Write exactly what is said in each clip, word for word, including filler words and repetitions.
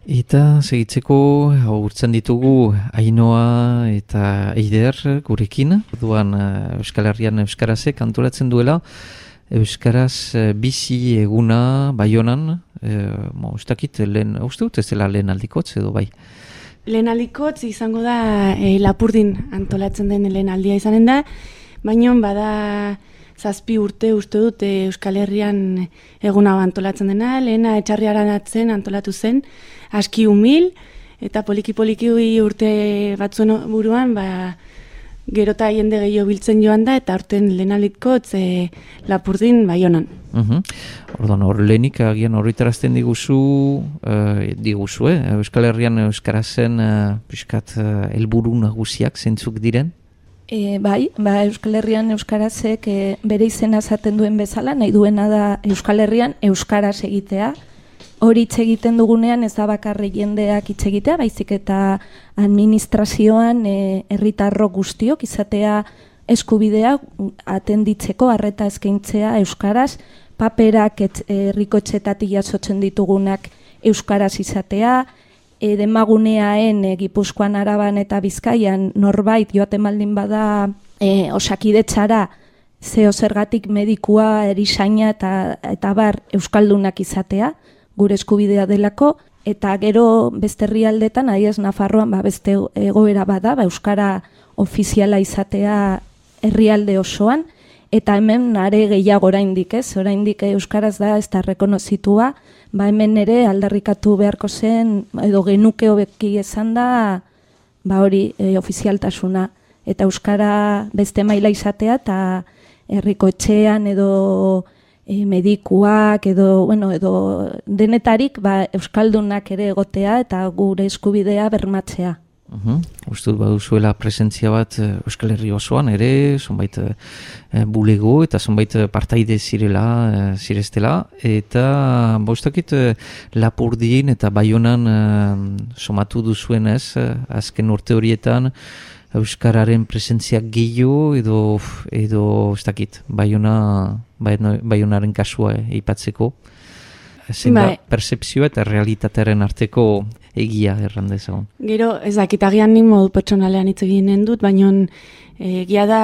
Eta segitzeko urtzen ditugu Ainoa eta Eider gurekin. Orduan Euskal Herrian Euskarazek antolatzen duela Euskaraz bizi eguna Baionan. E, mo, ustakit, lehen, uste dut ez dela lehen aldikotz edo bai? Lehen aldikotz izango da e, Lapurdin antolatzen den lehen aldia izanen da, baina bada zazpi urte uste dut e, Euskal Herrian eguna antolatzen dena, lehena Etxarriaran atzen antolatu zen, aski humil, eta poliki-poliki urte batzuen buruan, ba, gerota jende gehiago biltzen joan da, eta aurten lehen aldikotz e, Lapurdin Baionan. Uh-huh. Orduan, hor lehenik agian horretarazten diguzu, uh, diguzu, eh? Euskal Herrian Euskarazen uh, piskat uh, helburu nagusiak zeintzuk diren? E, bai, ba, Euskal Herrian Euskarazek e, bere izena esaten duen bezala, nahi duena da Euskal Herrian Euskaraz egitea. Hori hitz egiten dugunean ez da bakarrik jendeak hitz egitea, baizik eta administrazioan e, herritarrok guztiok izatea eskubidea atenditzeko, arreta eskaintzea Euskaraz, paperak herrikotxetatik jasotzen ditugunak Euskaraz izatea, e, demaguneaen e, Gipuzkoan, Araban eta Bizkaian norbait joaten baldin bada e, osakidetzara zeo zergatik medikua, erizaina eta, eta bar Euskaldunak izatea, gure eskubidea delako, eta gero beste herrialdetan, adiez Nafarroan ba, beste egoera bada, ba, Euskara ofiziala izatea herrialde osoan, eta hemen are gehiago oraindik, ez? Oraindik Euskaraz da ez da rekonozitua, ba hemen ere aldarrikatu beharko zen, edo genuke hobeki esan da, ba hori e, ofizialtasuna, eta Euskara beste maila izatea, eta herriko etxean edo e, medikuak, edo, bueno, edo denetarik ba, Euskaldunak ere egotea, eta gure eskubidea bermatzea. Uhum. Uste dut baduzuela presentzia bat Euskal Herri osoan ere, zonbait e, bulego eta zonbait partaide zirela, e, zireztela, eta bostakit e, Lapurdin eta Baionan e, somatu duzuen ez, azken urte horietan Euskararen presentzia gehiago edo, edo ez dakit, Baiona, Baionaren kasua eipatzeko. Zein da percepzioa eta realitatearen arteko egia errandezagun. Gero, ez dakitagian nik modu pertsonalean hitz eginen dut, baina egia da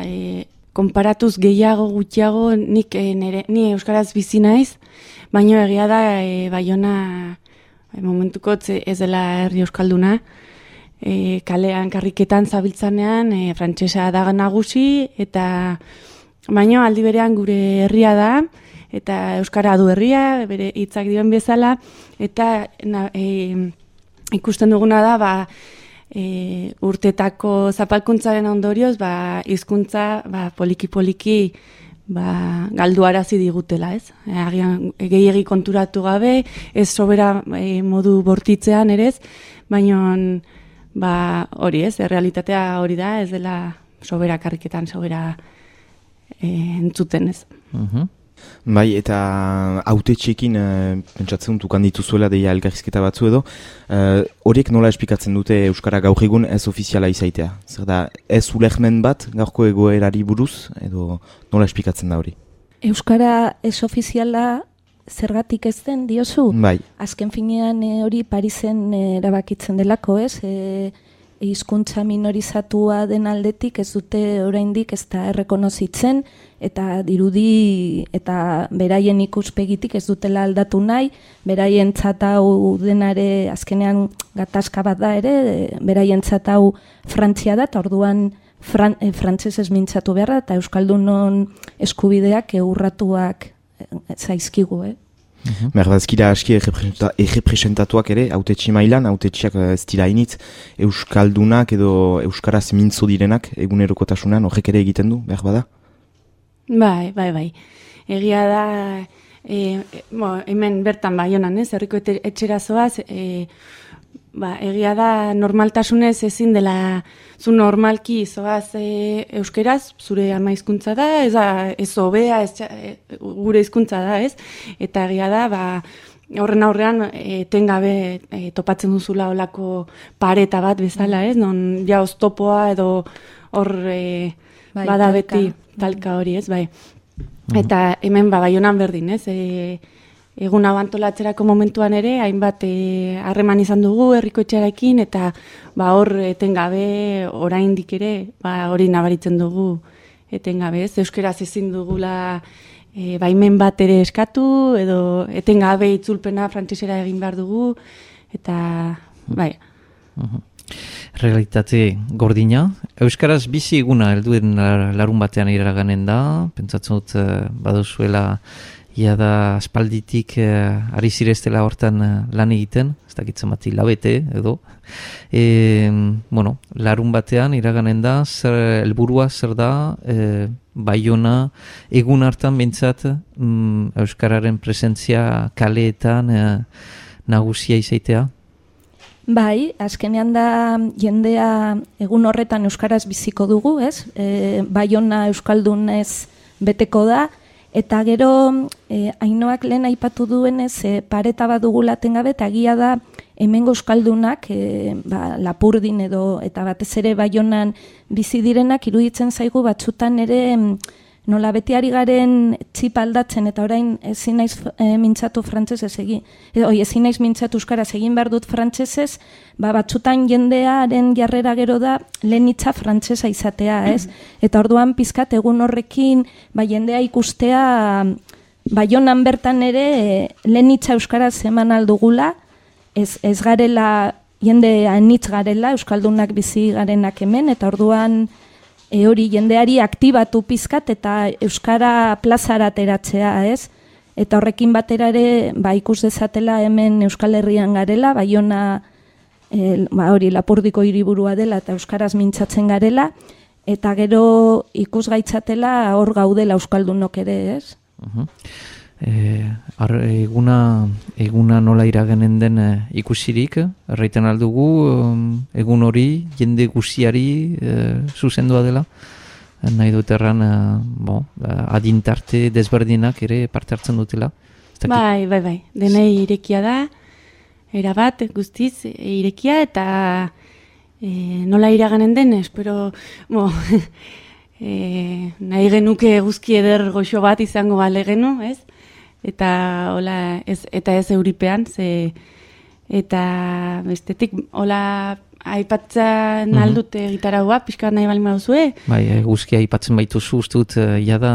e, konparatuz gehiago gutxiago nik e, nere, ni Euskaraz bizi naiz, baina egia da e, Baiona e, momentuko ez dela herri euskalduna, e, kalean karriketan zabiltzanean e, frantsesa da nagusi, eta baina aldi berean gure herria da, eta Euskara du herria, bere hitzak dioen bezala, eta na, e, ikusten duguna da, ba, e, urtetako zapalkuntzaren ondorioz, ba, hizkuntza ba, poliki-poliki ba, galduarazi digutela, ez? E, agian gehiegi konturatu gabe, ez sobera e, modu bortitzean ere ez, baina ba, hori ez, realitatea hori da, ez dela sobera karriketan, sobera e, entzuten ez. Mhm. Bai, eta hautetxeekin e, pentsatzen dut ukan dituzuela deia elkarrizketa batzu edo, horiek nola esplikatzen dute Euskara gaur egun ez ofiziala izaitea? Zer da, ez ulehmen bat gaurko egoerari buruz, edo nola esplikatzen da hori? Euskara ez ofiziala zergatik ez den diozu? Bai. Azken finean e, hori Parisen e, erabakitzen delako, ez? E, hizkuntza minorizatua den aldetik ez dute oraindik ez da errekonozitzen, eta dirudi eta beraien ikuspegitik ez dutela aldatu nahi, beraien hau denare azkenean gatazka bat da ere, beraien hau Frantzia da, eta orduan fran, e, frantsesez mintzatu beharra, eta Euskaldunon eskubideak eurratuak zaizkigu, eh? Uh-huh. Berbazkira aski errepresentatuak ere, autetxi mailan, autetxiak ez dira initz, Euskaldunak edo Euskaraz mintzo direnak egunerokotasunan horrek ere egiten du, behar bada? Bai, bai, bai. Egia da, e, bo, hemen bertan Baionan, ez, herriko etxera zoaz, e, ba, egia da normaltasunez ezin dela, zu normalki zoaz e, euskeraz, zure ama hizkuntza da, ez, ez hobea, ez, e, gure hizkuntza da, ez, eta egia da, ba, horren aurrean etengabe e, topatzen duzula olako pareta bat bezala, ez, non ja oztopoa edo hor e, bai, bada talka. Beti talka hori, ez, bai. Eta hemen ba, Baionan berdin, ez, e, egun hau antolatzerako momentuan ere, hainbat harreman izan dugu herrikoetxearekin, eta ba, hor etengabe oraindik ere, ba, hori nabaritzen dugu etengabe, ez? Euskeraz ezin dugula e, baimen bat ere eskatu, edo etengabe itzulpena frantsesera egin behar dugu, eta bai. Uh-huh. Realitate gordina. Euskaraz bizi eguna helduen larun batean iraganen da, pentsatzen dut uh, baduzuela ia da aspalditik uh, ari zireztela hortan uh, lan egiten, ez dakitzen bat hilabete edo. E, bueno, larun batean iraganen da, zer helburua zer da, e, Baiona egun hartan bintzat um, Euskararen presentzia kaleetan uh, nagusia izaitea? Bai, azkenean da jendea egun horretan euskaraz biziko dugu, ez? E, Baiona euskaldunez beteko da, eta gero e, Ainoak lehen aipatu duenez e, pareta bat dugula tengabe, eta egia da hemengo euskaldunak e, ba, Lapurdin edo eta batez ere Baionan bizi direnak iruditzen zaigu batzutan ere nola beti ari garen txip aldatzen, eta orain ezin naiz e, mintzatu frantsesez egin, edo ezin naiz mintzatu euskaraz egin behar dut frantsesez, ba, batzutan jendearen jarrera gero da lehen hitza frantsesa izatea, ez? Eta orduan pizkat egun horrekin ba, jendea ikustea Baionan bertan ere e, lehen hitza euskaraz eman aldugula, ez, ez garela jende anitz garela, euskaldunak bizi garenak hemen, eta orduan E hori jendeari aktibatu pizkat eta euskara plazara ateratzea, ez? Eta horrekin batera ere ba, ikus dezatela hemen Euskal Herrian garela, Baiona e, ba, hori Lapurdiko hiriburua dela eta euskaraz mintzatzen garela, eta gero ikus gaitzatela hor gaudela euskaldunok ere, ez? Uh-huh. E, ar, eguna, eguna nola iragenen den e, ikusirik, erraiten aldugu, egun hori jende guziari e, zuzendua dela, e, nahi dut erran e, bo, adintarte desberdinak ere parte hartzen dutela. Bai, bai, bai, denei irekia da, erabat guztiz irekia, eta e, nola iraganen den, espero, bo, e, nahi genuke guzki eder goxo bat izango bale genu, ez? Eta hola ez eta ez euripean, ze eta bestetik hola aipatzen mm-hmm. aldute gitaraua pixka nahi balin baduzue. Bai, eguzkia aipatzen baituzu, uste dut ja da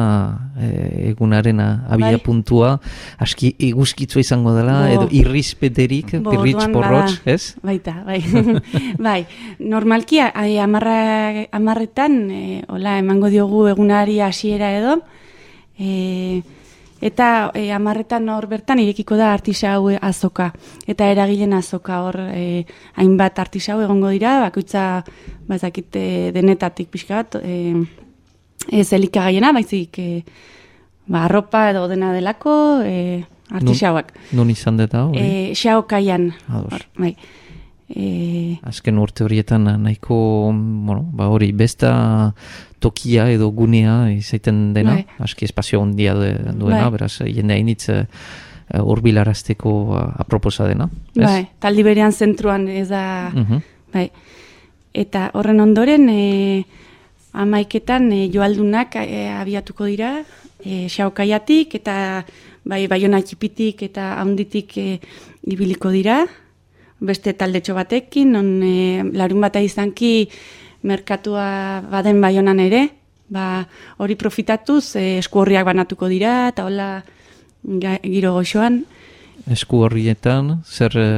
e, egunaren abia bai. Puntua aski eguzkitzu izango dela, Bo. Edo irrizpeterik, pirritz porrotz, ez? Baita, bai. Bai, normalki amarra, amarretan e, hola emango diogu egunari hasiera edo, e, eta e, amarretan hor bertan irekiko da artisau azoka. Eta eragilen azoka hor e, hainbat artisau egongo dira, bakoitza bazakit e, denetatik pixka bat, e, ez elikagaiena, baizik e, ba, arropa edo dena delako e, artisauak. Nun, nun izan deta hori? E, Xaokaian. Hor, bai. E... Azken urte horietan nahiko, bueno, ba hori, besta tokia edo gunea izaiten dena, bai. Aski espazio ondia duena, bai. Beraz, jende hainitz hurbilarazteko uh, aproposa dena. Ez? Bai, taldi berean zentruan ez da, uh-huh. Bai. Eta horren ondoren, e, amaiketan e, joaldunak e, abiatuko dira, e, Xaokaiatik, eta bai, Baiona txipitik eta haunditik e, ibiliko dira, beste taldetxo batekin, non e, larun bata izanki merkatua baden Baionan ere, ba, hori profitatuz e, esku horriak banatuko dira, eta hola giro goxoan. Esku horrietan, zer e,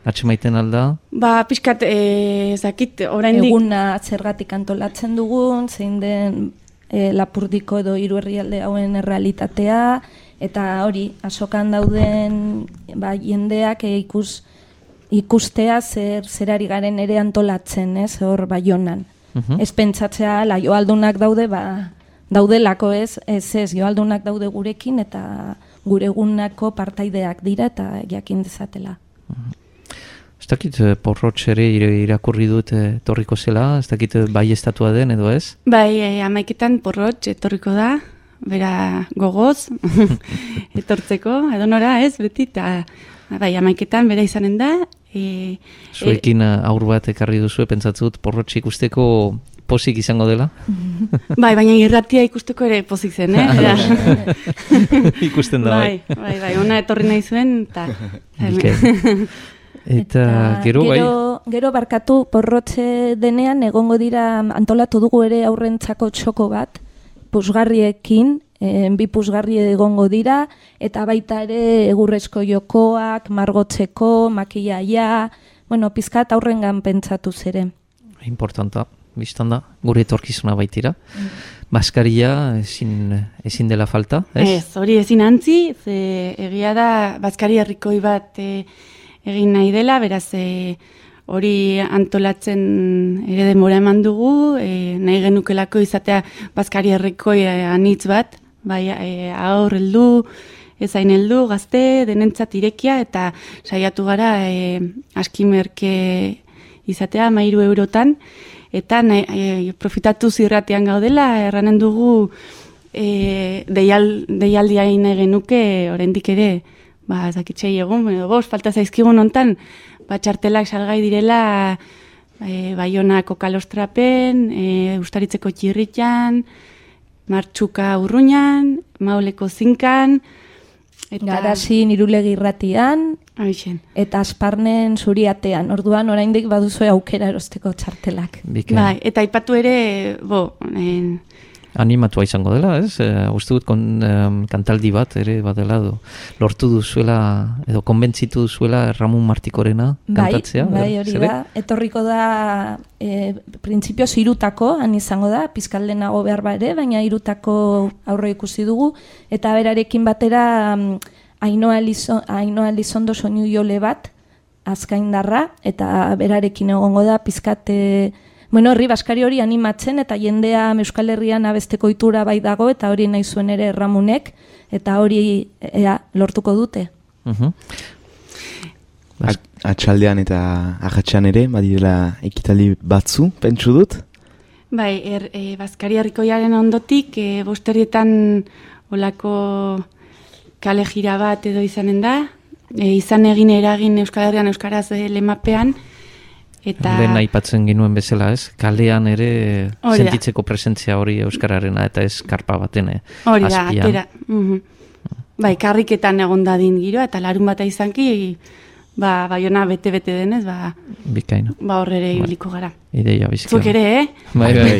atxemaiten alda? Ba, pixkat, e, zakit, oraindik eguna zergatik antolatzen dugun, zein den e, Lapurdiko edo hiru herrialde hauen errealitatea, eta hori, azokan dauden ba, jendeak e, ikus ikustea zer zerari garen ere antolatzen, ez, hor Baionan. Uh-huh. Ez pentsatzea, la joaldunak daude, ba, daudelako ez, ez ez, joaldunak daude gurekin, eta gure egunako partaideak dira, eta jakin dezatela. Uh-huh. Ez dakit porrotx ere irakurri dut etorriko zela, ez dakit bai estatua den edo ez? Bai, e, amaiketan porrotx etorriko da, bera gogoz, etortzeko, edonora ez, beti, eta bai, amaiketan bera izanen da. E, Zuekin e, aur bat ekarri duzu, pentsatzen dut porrotx ikusteko posik izango dela? Bai, baina irratia ikusteko ere pozik zen, eh? Ikusten da, bai. Bai, bai, bai, ona etorri nahi zuen, eta... Eta gero bai... Gero barkatu porrotze denean egongo dira antolatu dugu ere aurrentzako txoko bat, pusgarriekin, e, bi pusgarri egongo dira, eta baita ere egurrezko jokoak, margotzeko, makillaia, bueno, pizkat aurrengan pentsatu zere. Importanta, biztan da, gure etorkizuna baitira. Mm. Baskaria ezin, ezin dela falta, ez? Ez, hori ezin antzi, ze egia da, Baskari herrikoi bat e, egin nahi dela, beraz, e, hori antolatzen ere denbora eman dugu, e, nahi genukelako izatea Baskari herrikoi e, anitz bat, bai, e, aur heldu, ezain heldu, gazte, denentzat irekia, eta saiatu gara e, askimerke izatea, mairu eurotan, eta nahi, e, profitatu zirratean gaudela, erranen dugu e, deial, deialdia nahi genuke, oraindik ere, ba, zakitxei egun, bost, falta zaizkigun hontan, ba, txartelak salgai direla e, Baionako kalostrapen, e, Ustaritzeko txirritan, Martxuka urruñan, Mauleko zinkan, eta... Garazin irulegi irratian, Aixen. Eta Asparnen zuriatean, orduan oraindik baduzue aukera erosteko txartelak. Bikain. Bai, eta aipatu ere, bo... En... Animatua izango dela, ez? E, uste dut kon, um, kantaldi bat ere badela, do, lortu duzuela, edo konbentzitu duzuela Ramon Martikorena kantatzea. Bai, bai, hori da. Etorriko da, e, printzipioz irutako, han izango da, pizkaldenago behar ba ere, baina irutako aurre ikusi dugu, eta berarekin batera um, Ainoa Elizondo soinu jole bat, azkaindarra, eta berarekin egongo da, pizkate... Bueno, horri Baskari hori animatzen eta jendea Euskal Herrian abesteko ohitura bai dago eta hori nahi zuen ere Ramunek eta hori ea, lortuko dute. Uh-huh. Atxaldean eta ahatxean ere, badirela ekitaldi batzu, pentsu dut? Bai, er, e, Baskari herrikoiaren ondotik, e, bosterietan olako kale jira bat edo izanen da, e, izan egin eragin Euskal Herrian Euskaraz e, lemapean, eta... Lehen aipatzen ginuen bezala, ez? Kalean ere sentitzeko presentzia hori euskararena eta ez karpa baten azpian. Hori da, atera. Uh-huh. Bai, karriketan egon dadin giroa, eta larun bata izanki, ba, Baiona bete-bete denez, ba... Bikaina. Ba, horrere ibiliko gara. Ideia bizika. Zuk ere, eh? Bai, bai.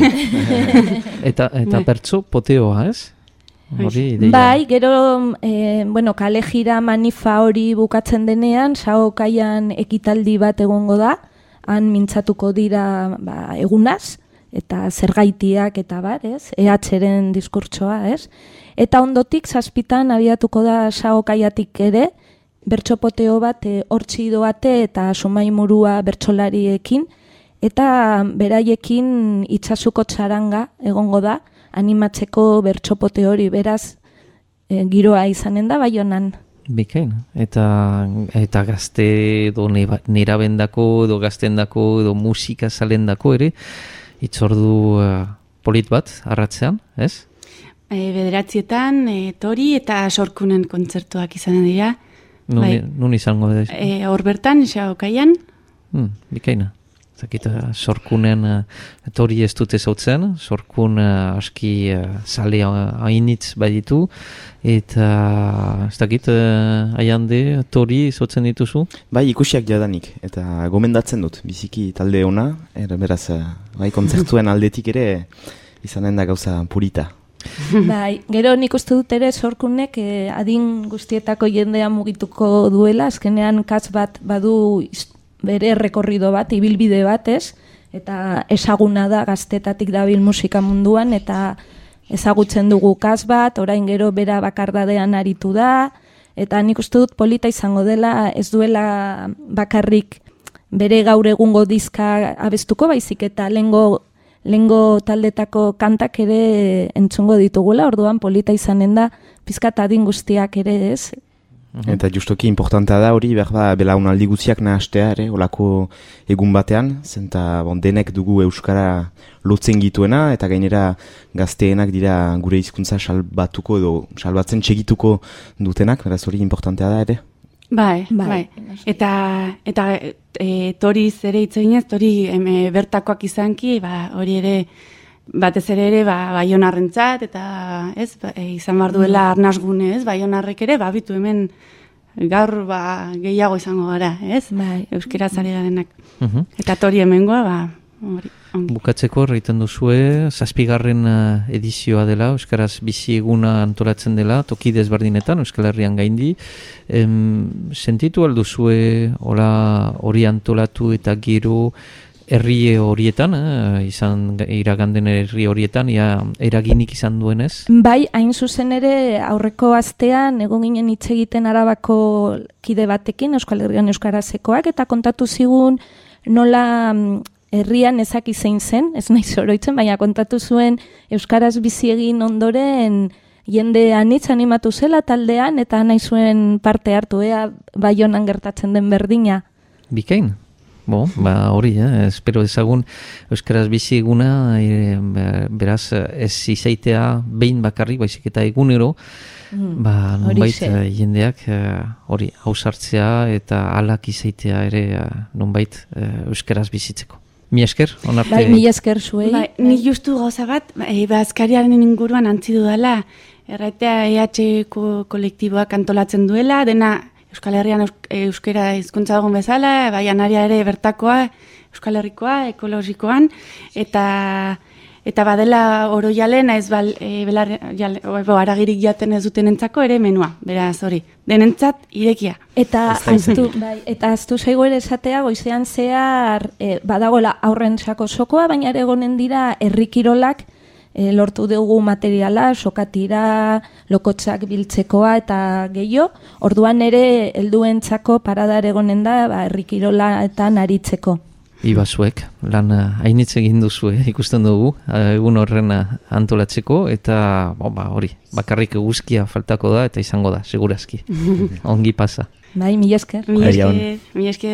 eta eta bai. Pertso poteoa, ez? Hori ideia. Bai, gero, eh, bueno, kale jira manifa hori bukatzen denean, sao kaian ekitaldi bat egongo da, han mintzatuko dira ba, egunaz, eta zergaitiak eta bar, ez? E H-ren diskurtsoa, ez? Eta ondotik, zazpitan abiatuko da sao kaiatik ere, bertxopoteo bat, e, hortzi doate eta sumaimurua bertsolariekin, eta beraiekin itxasuko txaranga egongo da, animatzeko bertxopote hori, beraz, e, giroa izanen da Baionan. Bikain, eta, eta gazte edo nerabendako edo gaztendako edo musika salendako ere, itzordu uh, polit bat, arratzean, ez? E, bederatzietan, e, tori eta sorkunen kontzertuak izanen dira. Nun, bai. nun izango da? E, hor bertan, xaokaian. Hmm, bikaina. Zakita, sorkunen uh, tori ez dute zautzen, sorkun uh, aski uh, sale hainitz baditu, eta ez dakit, uh, aiande tori zautzen dituzu? Bai, ikusiak jadanik, eta gomendatzen dut, biziki talde ona, er, beraz, uh, bai, kontzertuen aldetik ere izanen da gauza purita. Bai, gero nik uste dut ere sorkunek eh, adin guztietako jendea mugituko duela, azkenean kas bat badu bere rekorrido bat, ibilbide bat, ez? Eta ezaguna da gaztetatik dabil musika munduan, eta ezagutzen dugu kas bat, orain gero bera bakardadean aritu da, eta nik uste dut polita izango dela, ez duela bakarrik bere gaur egungo dizka abestuko, baizik eta lengo, lengo taldetako kantak ere entzungo ditugula, orduan polita izanen da, pizkat adin guztiak ere, ez? Eta justoki importantea da hori, behar belaunaldi guztiak nahastea, ere, olako egun batean, zenta bon, denek dugu euskara lotzen gituena, eta gainera gazteenak dira gure hizkuntza salbatuko edo salbatzen txegituko dutenak, beraz hori importantea da ere. Bai, Bai, bai. noski. Eta, eta e, toriz ere hitz eginez, tori em, e, bertakoak izanki, ba, hori ere, batez ere ere, ba, Baionarrentzat, eta ez, ba, e, izan behar duela arnasgune, ez, Baionarrek ere, ba, bitu hemen gaur ba, gehiago izango gara, ez? Bai. Euskaraz ari garenak. Mhm. Eta tori hemengoa, ba, hori, ongi. Bukatzeko erraiten duzue, zazpigarren uh, edizioa dela, Euskaraz bizi eguna antolatzen dela, toki desberdinetan, Euskal Herrian gaindi. Em, sentitu alduzue hori antolatu eta gero herri horietan, eh, izan iraganden herri horietan, ia eraginik izan duenez? Bai, hain zuzen ere aurreko astean egon ginen hitz egiten Arabako kide batekin, Euskal Herrian euskarazekoak, eta kontatu zigun nola herrian ezaki zein zen, ez naiz oroitzen, baina kontatu zuen euskaraz bizi egin ondoren jende anitz animatu zela taldean, eta nahi zuen parte hartu, ea Baionan gertatzen den berdina. Bikain? Bo, ba hori, eh? Espero ezagun euskaraz bizi eguna, e, beraz ez izaitea behin bakarrik, baizik eta egunero, mm, ba nonbait uh, jendeak hori uh, hausartzea eta alak izaitea ere uh, nonbait uh, euskaraz bizitzeko. Mi esker, onarte... Bai, mi esker zuei. Bai, ni justu gauza bat, e, ba, azkariaren inguruan antzi dudala, erratea E H ko kolektiboak antolatzen duela, dena Euskal Herrian euskera hizkuntza dugun bezala, Baianaria ere bertakoa, Euskal Herrikoa, ekologikoan, eta eta badela oroialen ez bal, e, belar, jale, o, aragirik jaten ez duten entzako ere menua, beraz hori, denentzat irekia. Eta aztu, bai, eta aztu zaigu ere esatea, goizean zehar e, badagoela aurren sako sokoa, baina ere egonen dira herrikirolak, E, lortu dugu materiala, sokatira, lokotzak biltzekoa eta gehiago. Orduan ere helduentzako paradar egonen da, ba, herrikirolaetan aritzeko. Ibazuek, lan hainitz egin duzue, ikusten dugu, egun horren antolatzeko, eta bo, ba, hori, bakarrik eguzkia faltako da, eta izango da, segurazki. Ongi pasa. Bai, mi esker. Mi esker, mi esker.